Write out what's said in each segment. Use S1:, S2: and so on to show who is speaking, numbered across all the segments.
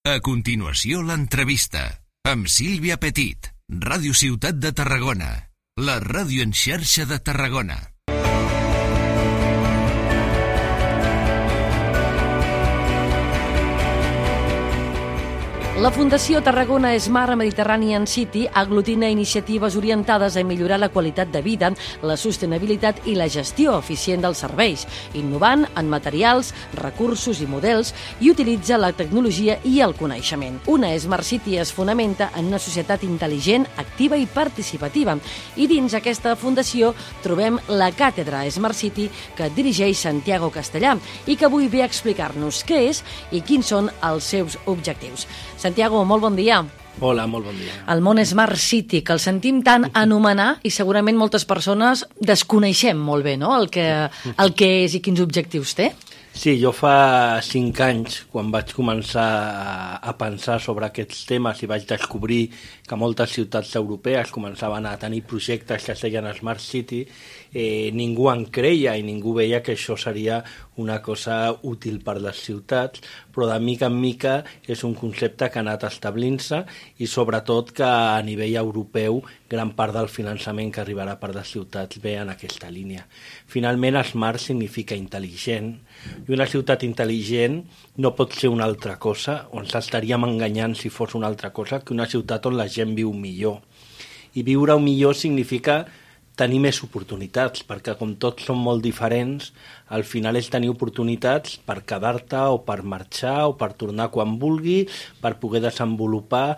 S1: A continuació, l'entrevista amb Sílvia Petit, Ràdio Ciutat de Tarragona, la ràdio en xarxa de Tarragona.
S2: La Fundació Tarragona Smart Mediterranean City aglutina iniciatives orientades a millorar la qualitat de vida, la sostenibilitat i la gestió eficient dels serveis, innovant en materials, recursos i models, i utilitza la tecnologia i el coneixement. Una Smart City es fonamenta en una societat intel·ligent, activa i participativa. I dins aquesta fundació trobem la càtedra Smart City que dirigeix Santiago Castellà i que avui ve a explicar-nos què és i quins són els seus objectius. Santiago, molt bon dia.
S3: Hola, molt bon dia.
S2: El món Smart City, que el sentim tant anomenar i segurament moltes persones desconeixem molt bé, no?, el que és i quins objectius té.
S3: Sí, jo fa 5 anys, quan vaig començar a pensar sobre aquests temes i vaig descobrir que moltes ciutats europees començaven a tenir projectes que es deien Smart City, ningú en creia i ningú veia que això seria una cosa útil per les ciutats, però de mica en mica és un concepte que ha anat establint-se i sobretot que a nivell europeu gran part del finançament que arribarà per les ciutats ve en aquesta línia. Finalment, Smart significa intel·ligent, i una ciutat intel·ligent no pot ser una altra cosa, o ens estaríem enganyant si fos una altra cosa, que una ciutat on la gent viu millor. I viure millor significa tenir més oportunitats, perquè com tots són molt diferents, al final és tenir oportunitats per quedar-te o per marxar o per tornar quan vulgui, per poder desenvolupar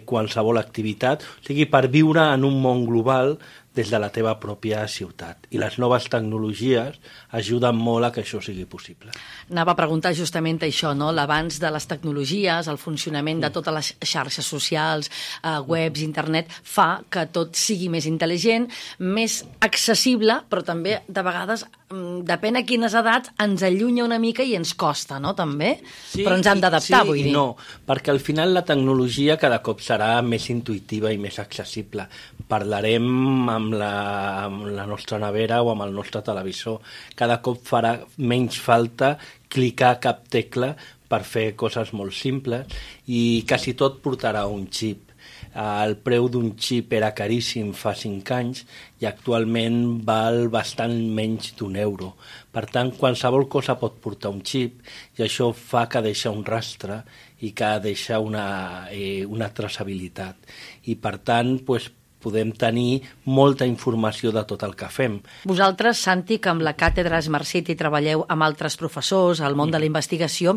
S3: qualsevol activitat, o sigui, per viure en un món global des de la teva pròpia ciutat. I les noves tecnologies ajuden molt a que això sigui possible.
S2: Anava a preguntar justament això, no? L'avanç de les tecnologies, el funcionament de totes les xarxes socials, webs, internet, fa que tot sigui més intel·ligent, més accessible, però també, de vegades, depèn a quines edats, ens allunya una mica i ens costa, no?, també? Sí, però ens hem d'adaptar, vull dir.
S3: No, perquè al final la tecnologia cada cop serà més intuïtiva i més accessible. Parlarem amb la nostra nevera o amb el nostre televisor. Cada cop farà menys falta clicar cap tecla per fer coses molt simples i quasi tot portarà un xip. El preu d'un xip era caríssim fa 5 anys i actualment val bastant menys d'€1. Per tant, qualsevol cosa pot portar un xip i això fa que deixa un rastre i que deixa una traçabilitat. I per tant, podem tenir molta informació de tot el que fem.
S2: Vosaltres, Santi, que amb la càtedra Smart City treballeu amb altres professors al món de la investigació,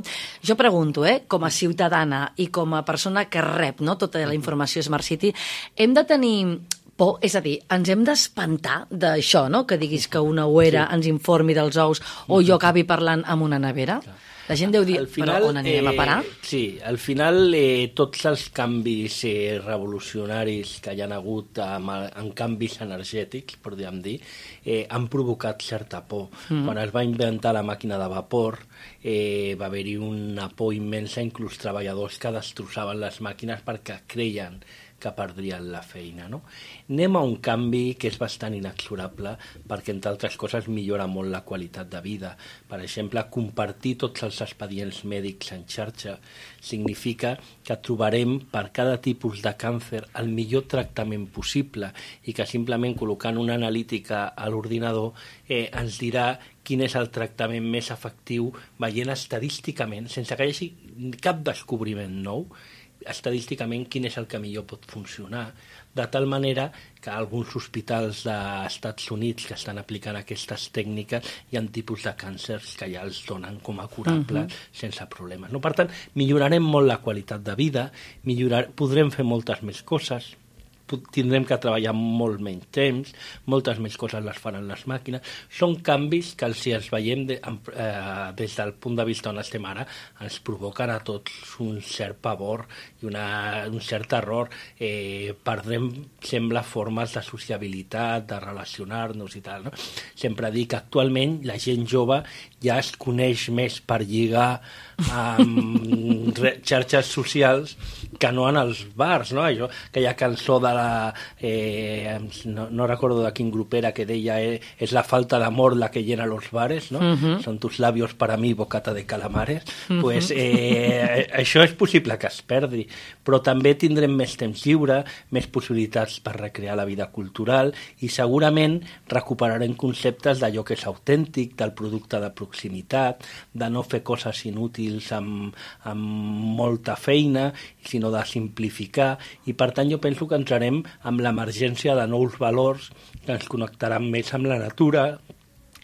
S2: jo pregunto, com a ciutadana i com a persona que rep, no, tota la informació Smart City, hem de tenir por, és a dir, ens hem d'espantar d'això, no?, que diguis que una ouera ens informi dels ous o jo acabi parlant amb una nevera? La gent deu dir, però on anirem a parar?
S3: Sí, al final tots els canvis revolucionaris que hi ha hagut en canvis energètics, podríem dir, han provocat certa por. Quan es va inventar la màquina de vapor va haver-hi una por immensa, inclús treballadors que destrossaven les màquines perquè creien que perdrien la feina, no? Anem a un canvi que és bastant inexorable perquè, entre altres coses, millora molt la qualitat de vida. Per exemple, compartir tots els expedients mèdics en xarxa significa que trobarem per cada tipus de càncer el millor tractament possible i que simplement col·locant una analítica a l'ordinador ens dirà quin és el tractament més efectiu veient estadísticament, sense que hi hagi cap descobriment nou, estadísticament quin és el que millor pot funcionar, de tal manera que alguns hospitals dels Estats Units que estan aplicant aquestes tècniques hi ha tipus de càncers que ja els donen com a curables sense problemes. No? Per tant, millorarem molt la qualitat de vida, podrem fer moltes més coses, tindrem que treballar molt menys temps, moltes més coses les faran les màquines. Són canvis que, si els veiem des del punt de vista on estem ara, ens provoquen a tots un cert pavor i un cert terror. Perdrem, sembla, formes de sociabilitat, de relacionar-nos i tal, no? Sempre dic que actualment la gent jove ja es coneix més per lligar amb xarxes socials que no en els bars, no? Això, aquella cançó de la... no recordo de quin grup era, que deia és la falta d'amor la que llena los bares, no? Son tus labios para mí bocata de calamares. Pues això és possible que es perdi, però també tindrem més temps lliure, més possibilitats per recrear la vida cultural i segurament recuperarem conceptes d'allò que és autèntic, del producte de proximitat, de no fer coses inútils amb molta feina, sinó de simplificar, i per tant jo penso que entrarem amb l'emergència de nous valors que ens connectaran més amb la natura,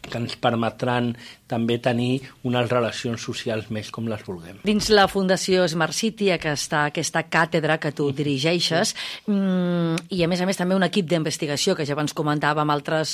S3: que ens permetran també tenir unes relacions socials més com les vulguem.
S2: Dins la Fundació Smart City, aquesta càtedra que tu dirigeixes, i a més també un equip d'investigació que ja abans comentava amb altres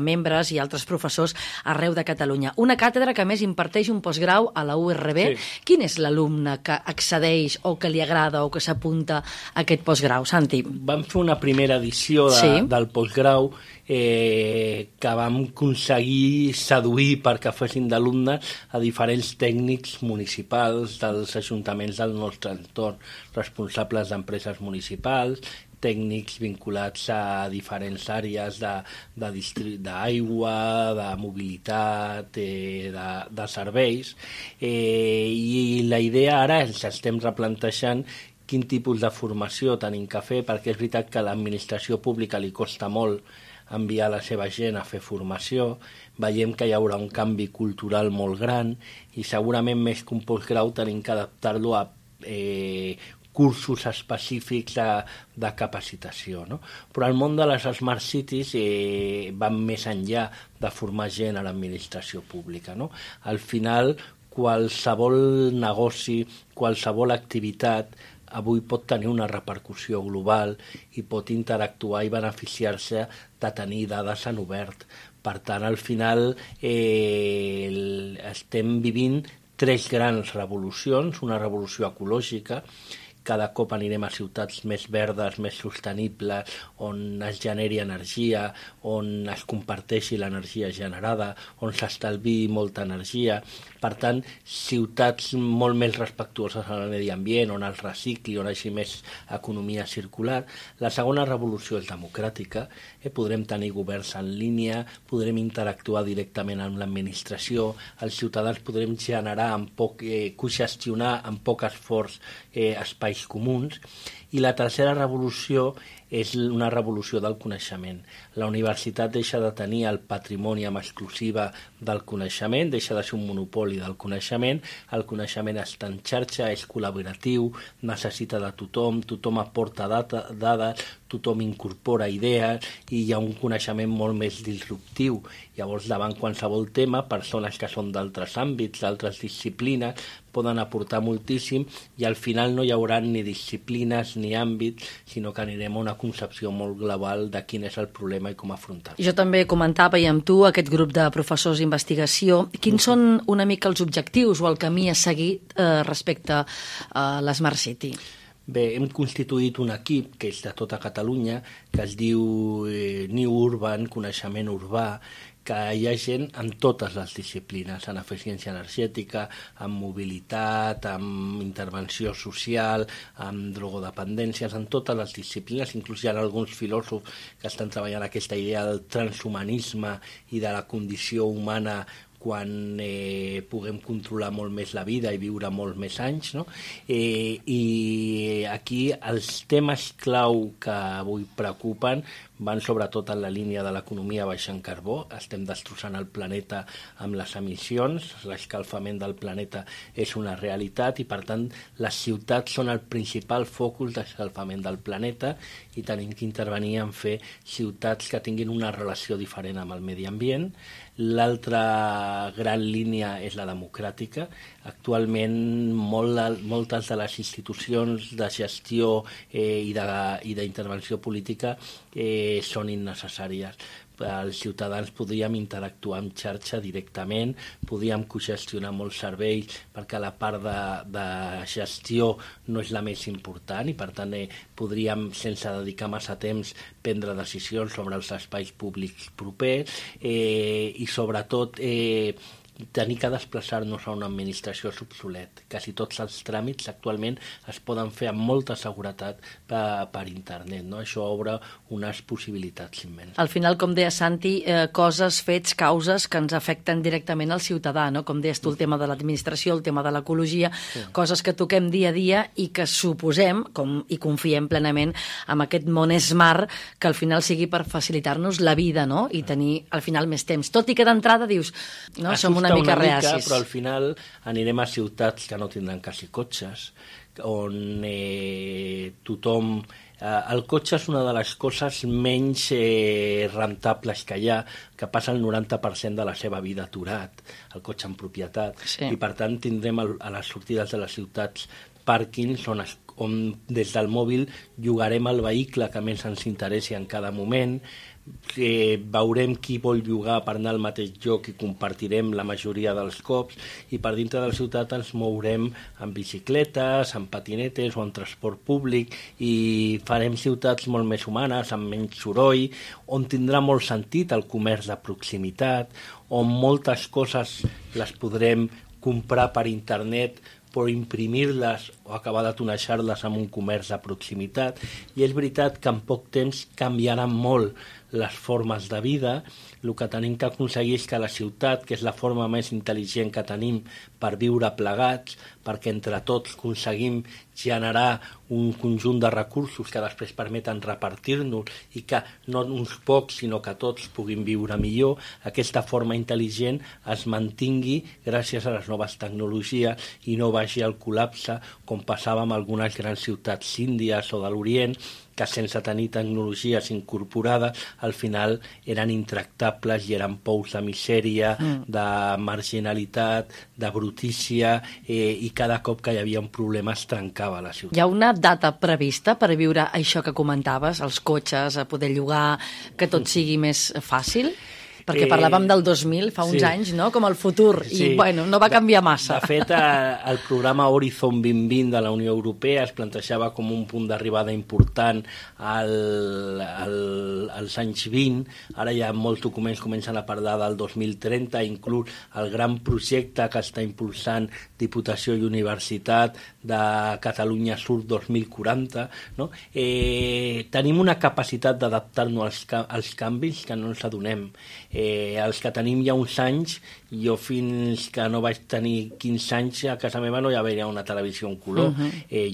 S2: membres i altres professors arreu de Catalunya. Una càtedra que a més imparteix un postgrau a la URB. Sí. Quin és l'alumne que accedeix o que li agrada o que s'apunta a aquest postgrau, Santi?
S3: Vam fer una primera edició del postgrau que vam aconseguir seduir perquè fessin d'alumnes a diferents tècnics municipals dels ajuntaments del nostre entorn, responsables d'empreses municipals, tècnics vinculats a diferents àrees d'aigua, de mobilitat, de serveis, i la idea ara ens estem replantejant quin tipus de formació tenim que fer, perquè és veritat que a l'administració pública li costa molt enviar la seva gent a fer formació, veiem que hi haurà un canvi cultural molt gran i segurament més que un postgrau tenim que adaptar-lo a cursos específics de capacitació, no? Però el món de les Smart Cities van més enllà de formar gent a l'administració pública, no? Al final, qualsevol negoci, qualsevol activitat avui pot tenir una repercussió global i pot interactuar i beneficiar-se de tenir dades en obert. Per tant, al final estem vivint 3 grans revolucions, una revolució ecològica, cada cop anirem a ciutats més verdes, més sostenibles, on es generi energia, on es comparteixi l'energia generada, on s'estalviï molta energia. Per tant, ciutats molt més respectuoses amb el medi ambient, on es recicli, on hi hagi més economia circular. La segona revolució és democràtica. Podrem tenir governs en línia, podrem interactuar directament amb l'administració, els ciutadans podrem generar cogestionar amb poc esforç espais comuns. I la tercera revolució és una revolució del coneixement. La universitat deixa de tenir el patrimoni amb exclusiva del coneixement, deixa de ser un monopoli del coneixement, el coneixement està en xarxa, és col·laboratiu, necessita de tothom, tothom aporta dades, tothom incorpora idees i hi ha un coneixement molt més disruptiu. Llavors, davant qualsevol tema, persones que són d'altres àmbits, d'altres disciplines, poden aportar moltíssim i al final no hi haurà ni disciplines ni àmbits, sinó que anirem a una concepció molt global de quin és el problema i com afrontar-lo.
S2: Jo també comentava, i amb tu, aquest grup de professors d'investigació, quins són una mica els objectius o el camí a seguir respecte a l'Smart City?
S3: Bé, hem constituït un equip que és de tota Catalunya, que es diu New Urban, Coneixement Urbà, que hi ha gent en totes les disciplines, en eficiència energètica, en mobilitat, en intervenció social, en drogodependències, en totes les disciplines. Inclús hi ha alguns filòsofs que estan treballant aquesta idea del transhumanisme i de la condició humana quan puguem controlar molt més la vida i viure molt més anys, no? I aquí els temes clau que avui preocupen van sobretot en la línia de l'economia baixa en carbó. Estem destrossant el planeta amb les emissions, l'escalfament del planeta és una realitat i, per tant, les ciutats són el principal focus d'escalfament del planeta i tenim que intervenir en fer ciutats que tinguin una relació diferent amb el medi ambient. L'altra gran línia és la democràtica. Actualment moltes de les institucions de gestió i d'intervenció política són innecessàries. Els ciutadans podríem interactuar en xarxa directament, podríem cogestionar molts serveis perquè la part de gestió no és la més important i per tant podríem, sense dedicar massa temps, prendre decisions sobre els espais públics propers i sobretot tenir que desplaçar-nos a una administració és obsolet. Quasi tots els tràmits actualment es poden fer amb molta seguretat per internet, no? Això obre unes possibilitats immenses.
S2: Al final, com deia Santi, coses, fets, causes que ens afecten directament al ciutadà, no? Com deies tu, el tema de l'administració, el tema de l'ecologia, coses que toquem dia a dia i que suposem i confiem plenament en aquest món smart que al final sigui per facilitar-nos la vida, no? I tenir al final més temps. Tot i que d'entrada dius, no, som una mica reacis.
S3: Però al final anirem a ciutats que no tindran quasi cotxes, on tothom... El cotxe és una de les coses menys rentables que hi ha, que passa el 90% de la seva vida aturat, el cotxe en propietat. Sí. I per tant tindrem a les sortides de les ciutats pàrquings on des del mòbil llogarem el vehicle que més ens interessi en cada moment, veurem qui vol llogar per anar al mateix lloc i compartirem la majoria dels cops, i per dintre de la ciutat ens mourem en bicicletes, en patinetes o en transport públic, i farem ciutats molt més humanes, amb menys soroll, on tindrà molt sentit el comerç de proximitat, on moltes coses les podrem comprar per internet però imprimir-les o acabar de tonejar-les amb un comerç de proximitat. I és veritat que en poc temps canviaran molt les formes de vida. El que tenim que aconseguir és que la ciutat, que és la forma més intel·ligent que tenim per viure plegats, perquè entre tots aconseguim generar un conjunt de recursos que després permeten repartir-nos i que no uns pocs, sinó que tots puguin viure millor, aquesta forma intel·ligent es mantingui gràcies a les noves tecnologies i no vagi al col·lapse com passava amb algunes grans ciutats índies o de l'Orient, que sense tenir tecnologies incorporades al final eren intractables i eren pous de misèria, de marginalitat, de brutícia, i cada cop que hi havia un problema es trencava la ciutat.
S2: Hi ha una data prevista per viure això que comentaves, els cotxes, a poder llogar, que tot sigui més fàcil? Perquè parlàvem del 2000, fa uns anys, no? Com el futur, i bueno, no va canviar massa.
S3: De fet, el programa Horizon 2020 de la Unió Europea es plantejava com un punt d'arribada important als anys 20. Ara ja molts documents comencen a parlar del 2030, inclús el gran projecte que està impulsant Diputació i Universitat de Catalunya Sur 2040. No? Tenim una capacitat d'adaptar-nos als canvis que no ens adonem. Els que tenim ja uns anys, jo fins que no vaig tenir 15 anys a casa meva no hi havia una televisió en color.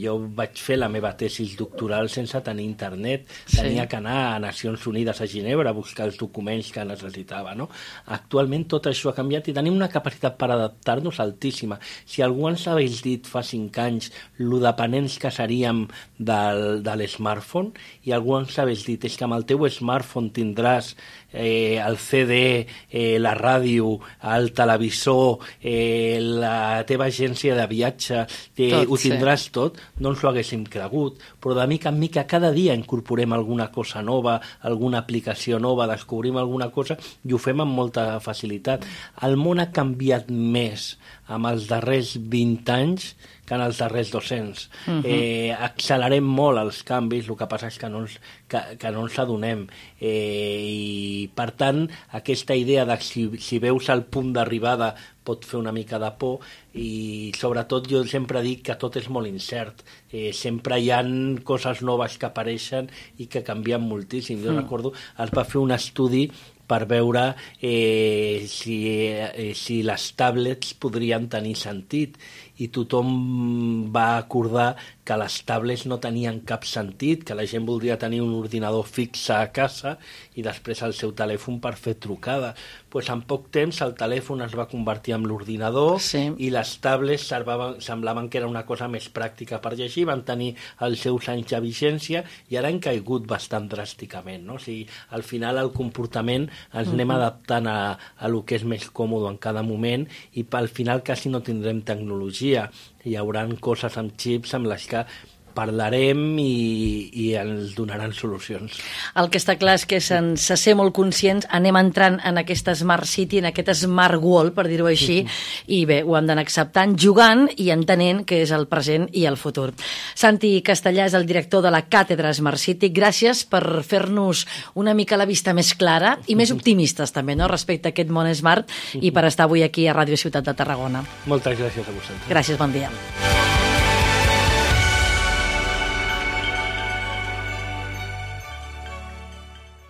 S3: Jo vaig fer la meva tesis doctoral sense tenir internet. Tenia que anar a Nacions Unides a Ginebra a buscar els documents que necessitava. No? Actualment tot això ha canviat i tenim una capacitat per adaptar-nos altíssima. Si algú ens hagués dit fa 5 anys lo dependents que seríem de l'smartphone, i algú ens hagués dit és que amb el teu smartphone tindràs el CD, la ràdio, el televisor, la teva agència de viatge, ho tindràs tot, no ens ho haguéssim cregut, però de mica en mica cada dia incorporem alguna cosa nova, alguna aplicació nova, descobrim alguna cosa i ho fem amb molta facilitat. El món ha canviat més amb els darrers 20 anys que en els darrers 200. Accelerem molt els canvis, el que passa és que no ens adonem. I, per tant, aquesta idea de si veus el punt d'arribada pot fer una mica de por, i sobretot jo sempre dic que tot és molt incert. Sempre hi ha coses noves que apareixen i que canvien moltíssim. Jo recordo, es va fer un estudi per veure si les tablets podrien tenir sentit, i tothom va acordar que les tablets no tenien cap sentit, que la gent voldria tenir un ordinador fixe a casa i després el seu telèfon per fer trucades. Pues en poc temps el telèfon es va convertir en l'ordinador, i les tablets semblaven que era una cosa més pràctica per llegir, van tenir els seus anys de vigència i ara han caigut bastant dràsticament. No? O sigui, al final el comportament ens anem adaptant a lo que és més còmode en cada moment, i al final quasi no tindrem tecnologia. Hi haurà coses amb xips amb les que parlarem i ens donaran solucions.
S2: El que està clar és que sense ser molt conscients anem entrant en aquesta Smart City, en aquest Smart World, per dir-ho així, i bé, ho hem d'anar acceptant, jugant i entenent que és el present i el futur. Santi Castellà és el director de la Càtedra Smart City. Gràcies per fer-nos una mica la vista més clara i més optimistes també, no?, respecte a aquest món smart, i per estar avui aquí a Ràdio Ciutat de Tarragona.
S3: Moltes gràcies a vosaltres.
S2: Gràcies, bon dia.